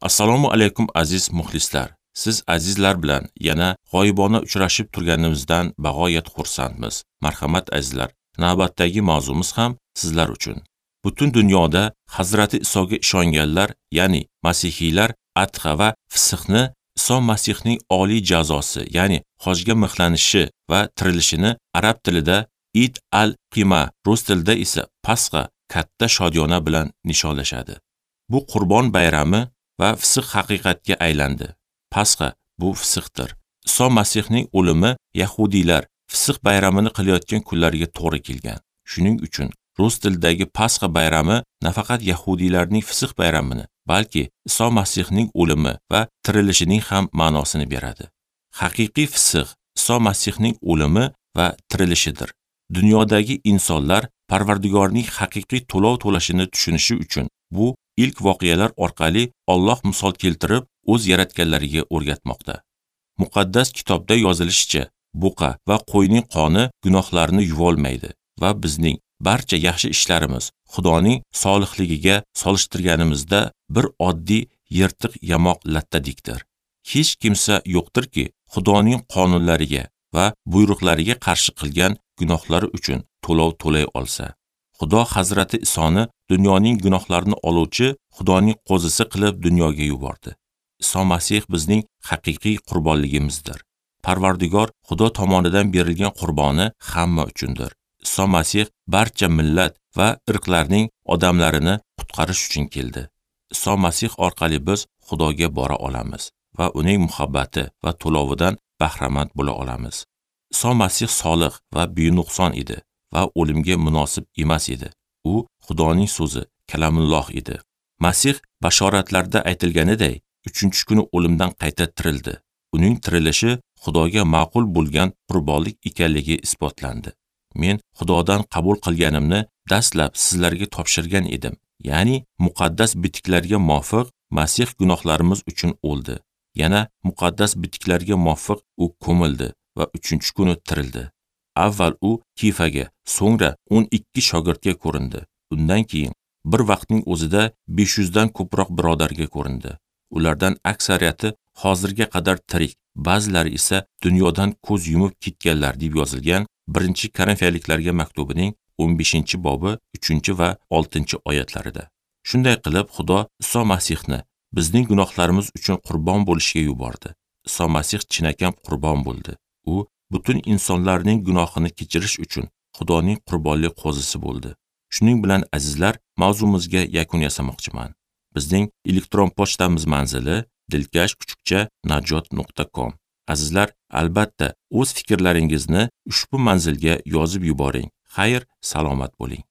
Assalomu alaykum aziz muxlislar. Siz azizlar bilan yana g'oyibona uchrashib turganimizdan bag'oyat xursandmiz. Marhamat azizlar, navbatdagi mavzumiz ham sizlar uchun. Butun dunyoda Hazrati Isoga ishonganlar, ya'ni masihiylar Adha va Fisihni Iso Masihning oliy jazosi, ya'ni hojga mixlanishi va tirilishini arab tilida Id al-Qima, rus tilida esa Pasxa katta shodiyona bilan nishonlashadi. Bu Qurbon bayrami va Fisih haqiqatga aylandi. Pasxa bu Fisihdir. Iso Masihning o'limi yahudiylar Fisih bayramini qilayotgan kunlarga to'g'ri kelgan. Shuning uchun rus tilidagi Pasxa bayrami nafaqat yahudiylarning Fisih bayramini, balki Iso Masihning o'limi va tirilishining ham ma'nosini beradi. Haqiqiy Fisih Iso Masihning o'limi va tirilishidir. Dunyodagi insonlar Parvardigorning haqiqiy to'lov to'lashini tushunishi uchun bu ilk voqealar orqali Alloh misol keltirib o'z yaratganlariga o'rgatmoqda. Muqaddas kitobda yozilishicha, buqa va qo'yning qoni gunohlarni yuvolmaydi va bizning barcha yaxshi ishlarimiz Xudoning solihligiga solishtirganimizda bir oddiy yirtiq yamoq lattadikdir. Hech kimsa yo'qdirki, Xudoning qonunlariga va buyruqlariga qarshi qilgan gunohlari uchun to'lov to'lay olsa. Xudo Hazrati Isoni dunyoning gunohlarini oluvchi Xudoning qo'zisi qilib dunyoga yubordi. Iso Masih bizning haqiqiy qurbonligimizdir. Parvardigor Xudo tomonidan berilgan qurboni hamma uchundir. Iso Masih barcha millat va irqlarning odamlarini qutqarish uchun keldi. Iso Masih orqali biz Xudoga bora olamiz va uning muhabbati va to'lovidan bahramand bo'la olamiz. Iso Masih solih va benuqson edi va o'limga munosib emas edi. U Xudoning so'zi, kalamulloh edi. Masih bashoratlarda aytilganiday 3-kuni o'limdan qayta tirildi. Uning tirilishi Xudoga ma'qul bo'lgan qurbonlik ekanligi isbotlandi. Men Xudodan qabul qilganimni dastlab sizlarga topshirgan edim. Ya'ni muqaddas bitiklarga muvofiq Masih gunohlarimiz uchun o'ldi. Yana muqaddas bitiklarga muvofiq u ko'mildi va 3-kuni tirildi. Avval u Kifaga, so'ngra 12 shogirdga ko'rindi. Undan keyin bir vaqtning o'zida 500 dan ko'proq birodarga ko'rindi. Ulardan aksariyati hozirga qadar tirik, ba'zilari esa dunyodan ko'z yumib ketganlar deb yozilgan 1-Korinfiyaliklarga maktubining 15-bobi 3 va 6-oyatlarida. Shunday qilib Xudo Iso Masihni bizning gunohlarimiz uchun qurbon bo'lishga yubordi. Iso Masih chinakam qurbon bo'ldi. U butun insonlarning gunohini kechirish uchun Xudoning qurbonlik qo'zisi bo'ldi. Shuning bilan azizlar, mavzumizga yakun yasamoqchiman. Bizning elektron pochtamiz manzili dilkash@najot.com. Azizlar, albatta o'z fikrlaringizni ushbu manzilga yozib yuboring. Xayr, salomat bo'ling.